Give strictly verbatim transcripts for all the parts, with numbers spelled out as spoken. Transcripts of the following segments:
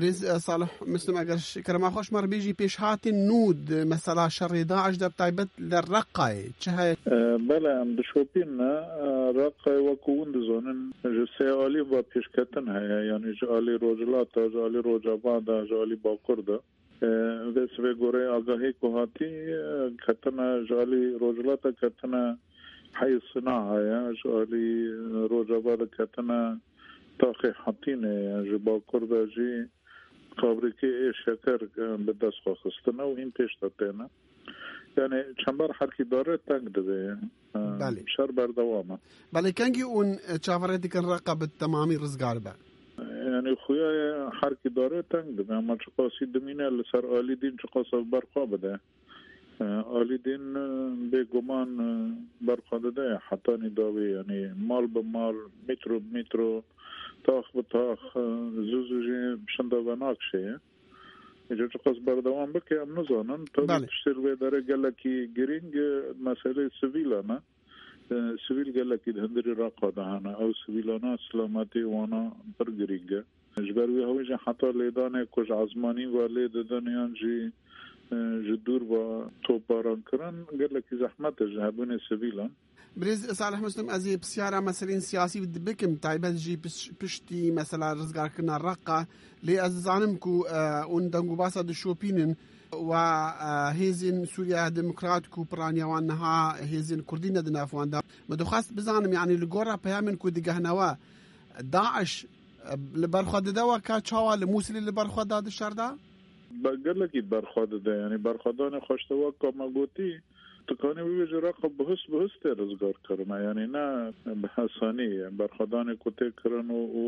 Birêz, e, Salih Muslim, eger ş-, kerema xwe ji me re bêjî, pêşhatên nû di mesela şerê DAIŞ de, bi taybet li Reqayê çi heye? E, belê, em dişopîne, e, Reqayê, wekû hûn dizanin, ji sê alî ve pêşketin heye, yanî ji alî Rojhilata, ji alî Rojava de, ji alî Bakur de. E, vê sibê goreyê agahî ku hatî, e, ketine ji alî Rojhilata, ketine Heyî Sinaha ye, ji alî, e, Rojava de ketine taxê Hetînê ye, ji Bakur de jî fabrîkê ê şeker, e, bi dest xwe xistine û hîn pêş de têne. Yani çember herkî dare teng dibe. E, Belê. Şer berdewam e. Belê, kengî hûn, e, çaverê dikin Reqa bi temamî rizgar be? Yani xuya ye herkî dare teng dibe, ama çiqasî dimîne li ser alî din çiqas ev berxwe bide. E, alî din, e, bêguman, e, berxwe dide hetanî dawî, yanî mal bi mal, mîtro bi mîtro, tax bi tax, e, zû zû jî şinda venakşê ye. Îca çiqas berdewam bike, em nizanin. Tabii Belê. Tiştê li vê derê gelekî girîng, e, meseleyê sivîlan e. E, sivîl gelekî di hundirî Reqa de hene. Ew sivîlana silametiyê wana pir girîng e. Ji ber wî hewî jî heta lêdanê ku ji ezmanî ve lê didin yan jî, e, ji dûr ve topbaran kirin, gelekî zehmet e ji hebûnê sivîlan. Birêz Salih Muslim, ez ê pisyara meselên siyasî bikim, taybet jî piş-, piştî mesela rizgarkirina Reqa, lê ez dizanim ku, e, hûn dengûbasa dişopînin, Wa, e, hêzên Sûriya Demokrat ku piraniya wan niha hêzên Kurdî ne di nav wan de. Me dixwest bizanim, yanî li gora peyamên ku digehne we, DAIŞ, e, li ber xwe dide we ka çawa li Mûsilê li ber xwe da di şer de? Be-, gelekî ber xwe dide, yanî berxwedanê xwe ji te wek ka me gotî, tu kanî bibêjî Reqa bihust bihust tê rizgarkirine, yanî ne bi hesanî ye. Berxwedanê ku tê kirin û, û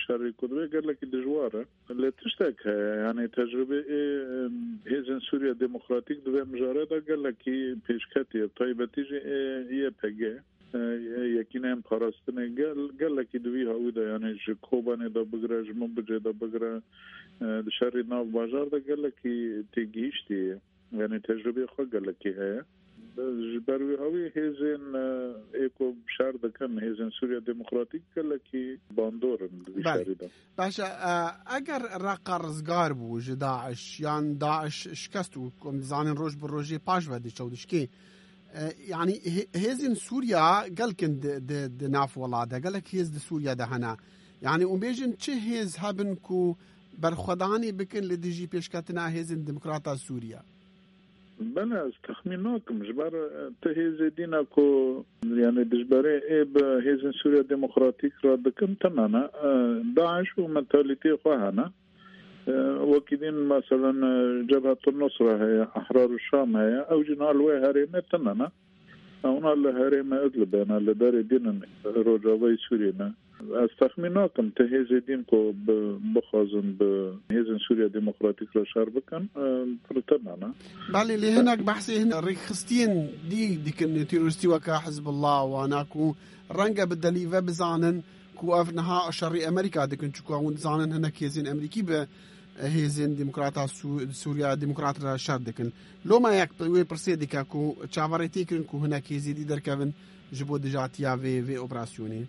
şerî ku dibe gelekî dijwar e. Lê tiştek heye, yanî tecrûbê ê, em, Hêzên Sûriya Demokratîk di vê mijarê de gelekî pêşketî ye, bi taybetî jî ê Y P G, e, Yekîneyên Parastinê gel-, gelekî di vî hawî de, yanî ji Kobanê de bigire, ji Minbicê de bigire, e, di şerî nav bajar de gelekî têgihiştî ye. Yanî tecrûbeyê xwe gelekî heye. Ji ber wî hawî hêzên, e, ê ku şer dikin, hêzên Sûriya Demokratîk gelekî bandor in di vî Belê. Şerî de. Baş e, e, eger Reqa rizgar bû ji DAIŞ, yan DAIŞ şikest û, ku em dizanin, roj bi rojê paş ve diçe û dişkê, e, yanî hê-, hêzên Sûriya gelkin di, di, di nav welat de, gelek hêz di Sûriya de hene. Yanî hûn bêjin çi hêz hebin ku berxwedanê bikin li dijî pêşketina hêzên demokrata Sûriya? Belê, ez texmîn nakim. Ji ber, e, ti hêzê dîne ku, yanî dijberê ê bi hêzên Sûriya Demokratîk re dikin, tune ne. E, DAIŞ û mentalîteyê xwe hene. E, wekî din, meselen, e, Cebhetun Nusra heye, Ehrar û Şam heye. Ew jî niha li wê herêmê tune ne. Ewna li herêmê Idlibê ne, li derê din in, rojavayê Sûriyê ne. Ez texmîn nakim ti hêzê din ku bi-, bixwazin bi hêzên Sûriya Demokratîk re şer bikin, e, pirtir ne, ne? Belê, lê hinek behsê hin rêkxistiyên dî dikin, terorîstî weke Hizbullah, wana ku renge bi delî ve bizanin ku ev niha şerî Amerîka dikin, çunku hûn dizanin hinek hêzên Amerîkî bi hêzên demokrata Sû-, Sûriya Demokrat re şer dikin. Loma yek wê pirsê dike ku çaverê tê kirin ku hinek hêzê dî derkevin ji bo dijatiya vê, vê operasyonê?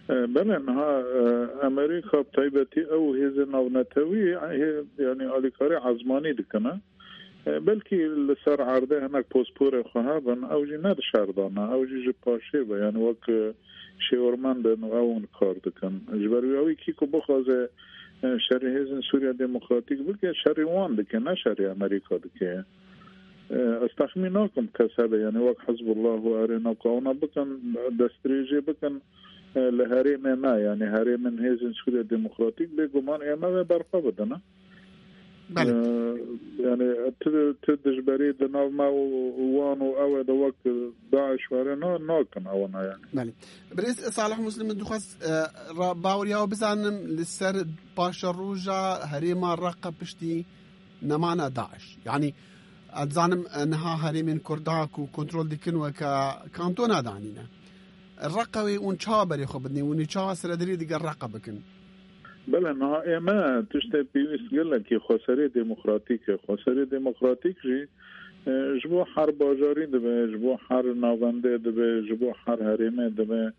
E, belê, niha, e, Amerîka bi taybetî ew hêzên navnetewî, hê-, yanî alîkarî ezmanî dikine. E, belkî li ser erdê hinek posporê xwe hebin, ew jî ne di şer de ne, ew jî ji paşê ve, yanî wek, e, şêwirmend in û ew in kar dikin. Ji ber wî ew kî ku bixwaze, e, şerî hêzên Sûriya Demokratîk bike, şerî wan dike, ne şerî Amerîka dike. E, ez texmîn nakim kes hebe, yanî wek Hizbullah û erê naku ewna bikin, destdirêjê bikin, e, li herêmê me, yanî herêmên hêzên Sûriya Demokratîk, bêguman ê me vê berxwe bidin, e. Belê. E, yanî tu, tu dijberî di nav me û wan û ew ê de wek DAIŞ were na-, nakin ewana, yanî. Belê. Birêz Salih Muslim, min dixwest, e, ra-, baweriya we bizanim, li ser paşeroja herêma Reqa piştî nemana DAIŞ. Yanî, ez dizanim, e, niha herêmên Kurda ku kontrol dikin weke kantona danîne. Reqa wê hûn çawa berê xwe bidin? Hûn ê çawa serederî digel Reqa bikin? Belê, niha ê me tiştê pêwîst gelekî xweserê demokratîk e. Xweserê demokratîk jî, e, ji bo her bajarî dibe, ji bo her navendê dibe, ji bo her herêmê dibe.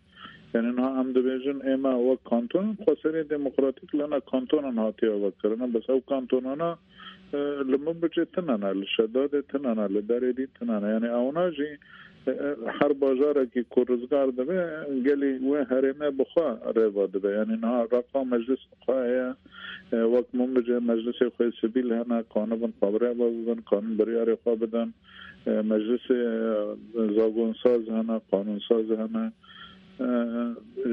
Yani niha em dibêjin ê me wek kantonan xweserê demokratîk li ne kantonan hatiye vekirin. Bes ew kantonana, e, li Minbicê tune ne, li Şedadê tune ne, li Derêdîn tune ne. Yani ewna jî, e, e, her bajarekî ku rizgar dibe, gelî wê herêmê bi xwe rêva dibe. Yani niha Reqa meclis xwe heye, e, wek Minbicê meclisê xwe sivîl hene, kanibin xwe bi rêva bibin, kanin biryarê xwe bidin. E, meclisê, e, zagonsaz hene, qanunsaz hene. E,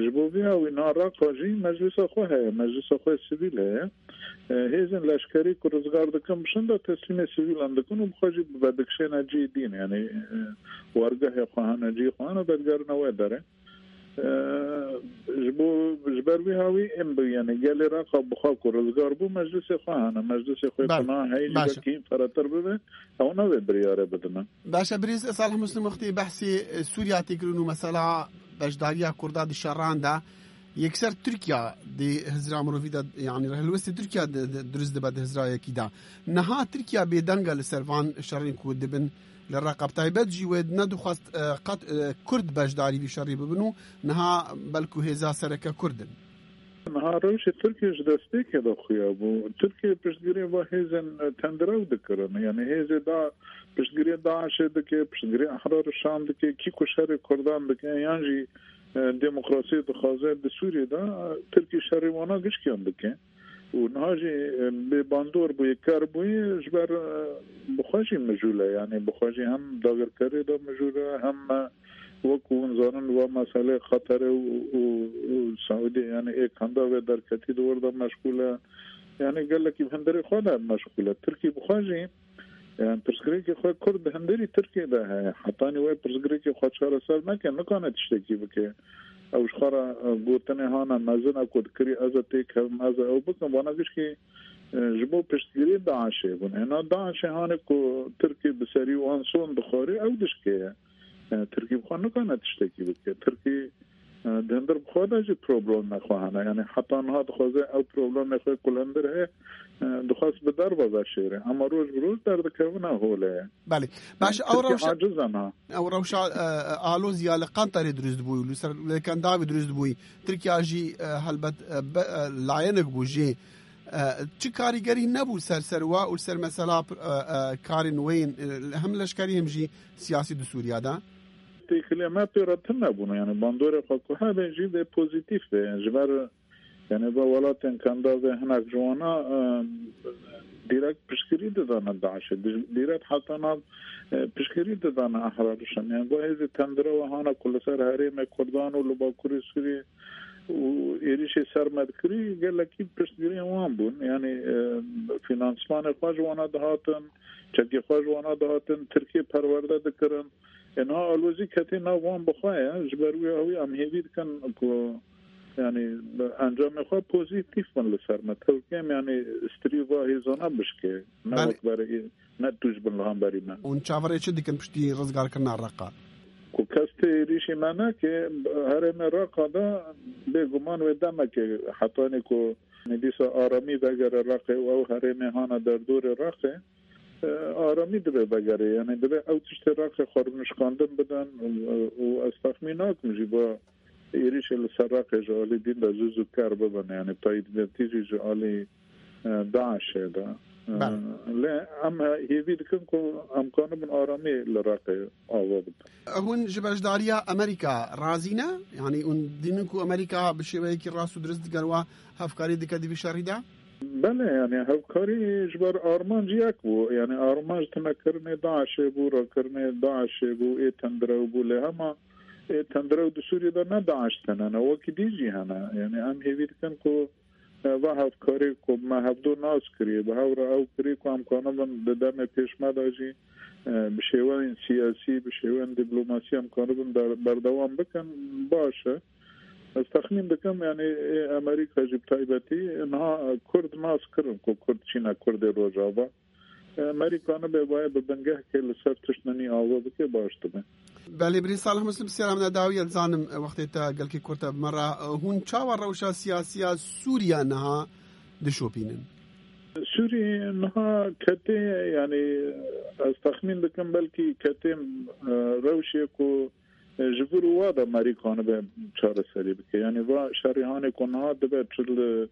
ji bo vî hawî na Reqa jî meclisa xwe heye, meclisa xwe sivîl heye. E, hêzên leşkerî ku rizgar dikin, bi şinda teslîmê sivîlan dikin û bi xwe jî vedikişêne cî dîn, yani, e, wargehê xwe hene, cî xwe hene, vedigerine wê derê. E, ji bo, ji ber vî hawî em bi, yani, gelê Reqa bi xwe ku rizgar bû, meclisê xwe hene, meclisê xwe Belê, tuna heyî jî baş e. Belkî hîn feretir bibe, ew navê biryarê bidine. Baş e, birêz Salih Muslim wextê behsê, e, Sûriya tê kirin û mesela beşdariya Kurda di şeran de yekser Tirkiya di hizra mirovî de, yani helwestê Tirkiya di, di, dirust dibe di hizra yekî de. Niha Tirkiya bêdeng e li ser van şerên ku dibin li Reqa. Bi taybet jî wê nedixwest, e, qet, e, Kurd beşdarî vî şerî bibin û niha belku hêza sereke Kurd in. Niha rewşê Tirkiye ji destpêkê de xuya bû. Tirkiye piştgirê va hêzên, e, tendirew dikirin. Yani hêzê da piştgirê DAIŞê dike, piştgirê Ehrar Şam dike, kî ku şerê Kurdan dike, yan jî, e, demokrasiyê dixwaze di Sûriyê de, e, Tirkî şerê wana gişkiyan dike. Û niha jî, e, bê bandor bûye, ker bûye, ji ber, e, bi xwe jî mijûl e. Yani bi xwe jî hem dagirkerê de mijûl e, hem, e, Wekî hûn zanin, va meselê Qeterê û, û, û Saûdiyê, yani ê kanda vê derketî di wir de meşgûl e. Yani gelekî bi hundirê xwe de meşgûl e. Tirkî bi xwe jî, yani pirsgirêkê xwe Kurd di hundirî Tirkiyê de heye. Hetanî wê pirsgirêkê xwe çareser neke, nikane tiştekî bike. Ew ji xwe re, e, gotinê hane mezin e ku dikirî ez ê têkevim, ez ê ew bikim. Vana gişkî, e, ji bo piştgirî DAIŞê bûn. Êna DAIŞê hanê ku Tirkî bi serî wan son dixwarî, ew dişkê ye. E, Tirkî bi xwe nikane tiştekî bike. Tirkî, e, di hundir bi xwe de jî problemê xwe hene. Yani heta niha dixwaze ew problemê xwe ku li hundir heye, e, dixwest bi derve veşêre. Ama roj bi roj derdikevine holê ye. Belê. Baş, ew Tirkî rewşa, aciz e niha. Ew rewşa, e, e, alozî ya li Qenterê dirust bû, li ser, li Kendavê dirust bû. Tirkiya jî, e, helbet, e, be, e, layenek bû jê. E, çi karîgerî nebû ser, ser wa û ser mesela, e, e, karên wê yên, e, hem leşkerî hem jî siyasî di Sûriya de? Têkilê me pê re tune bûn, yani bandorê xwe ku hebe jî vê pozîtîf be. Ji ber, yani, va welatên Kandavê hinek ji wana, e, dîrekt piştgirî didane DAIŞê. Di-, dîrekt heta nav, e, piştgirî didane Ehrar Şam. Yani, va hêzê tendire we hana ku li ser herêmê Kurdan û li Bakurê Sûriyê û êrîşê ser me dikirî, gelekî piştgiriyên wan bûn. Yani, e, finansmanê xwe ji wana dihatin, çekê xwe ji wana dihatin, Tirkiyê perwerde dikirin. E, niha alozî ketê nav wan bi xwe ye. Ji ber wî hawî em hêvî dikin ku, yani, encamê xwe pozîtîf bin li ser me. Tevkêm, yani, strî va hêzana bişkê. Ne Belê. Wek berê, ne tûj bin li hemberî me. Hûn çaverê çi dikin piştî rizgarkirina Reqa? Ku kes tê êrîşî me neke, herêmê Reqa de bêguman wê demekê hetanî ku dîsa aramî vegere Reqê û ew herêmê hana derdorê Reqê, e, aramî divê vegere. Yani divê ew tiştê Reqê xwe rûnişkandin bidin û, û ez texmîn nakim jî ba êrîşê li ser Reqê ji alî dîn de zû zû ker bibin. Yani taybetî jî ji alî, e, DAIŞê de. E, Belê. Lê em hêvî dikin ku em kanibin aramî li Reqê ava bikin. Hûn ji beşdariya Amerîka razî ne? Yani hûn dînin ku Amerîka bi şêweyekî rast û dirist digel we hevkarî dike di vî şerî de? Belê, yani hevkarî ji ber armanc yek bû. Yani armanc tunekirinê DAIŞê bû, rakirinê DAIŞê bû, ê tendirew bû. Lê hema ê tendirew di Sûriyê de ne DAIŞ tene ne, wekî dî jî hene. Yani em hêvî dikin ku, e, va hevkarî ku me hevdu nas kiriye, bi hev re ew kiriye ku em kanibin di demê pêş me de jî, e, bi şêweyên siyasî, bi şêweyên dîplomasî em kanibin ber-, berdewam bikin, baş e. Ez texmîn dikim, yani, ê Amerîka jî bi taybetî niha Kurd nas kirin ku Kurd çîne Kurdê Rojava. Amerîka nibe baye bi bingehkê li ser tişt ninî ava bike, baş dibe. Belê, birî Salih Muslim, siyara min dawiye dizanim, wextê te gelkî kurte bi me re. Hûn çawa rewşa siyasiya Sûriya niha dişopînin? Sûrî niha ketê, yani, ez texmîn dikim belkî ketê, e, rewşê ku E, ji vir û wa de merî kanibe çareserî bike. Yanî va şerî hanê ku niha dibe, çi li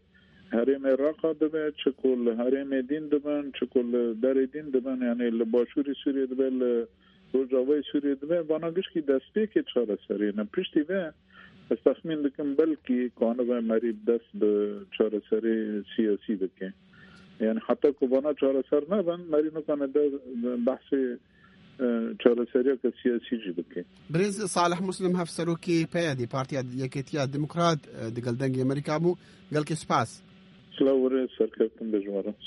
herêmê Reqa dibe, çi ku li herêmê dîn dibin, çi ku li derê dîn dibin, yanî li başûrê Sûriyê dibe, li rojavayê Sûriyê dibe, vana gişkî destpêkê çareserî ne. Piştî ve ez texmîn dikim belkî kanibe merî dest bi çareserî siyasî bike. Yani heta ku vana çareser nebin, merî nikane de behsê, e, çareseriyeke siyasî jî bike. Birêz Salih Muslim, hevserokê P Y D, Partiya Yekêtiya Demokrat, e, digel Dengê Amerîka bû. Gelkê spas. Silav were, serkeftin be ji we re.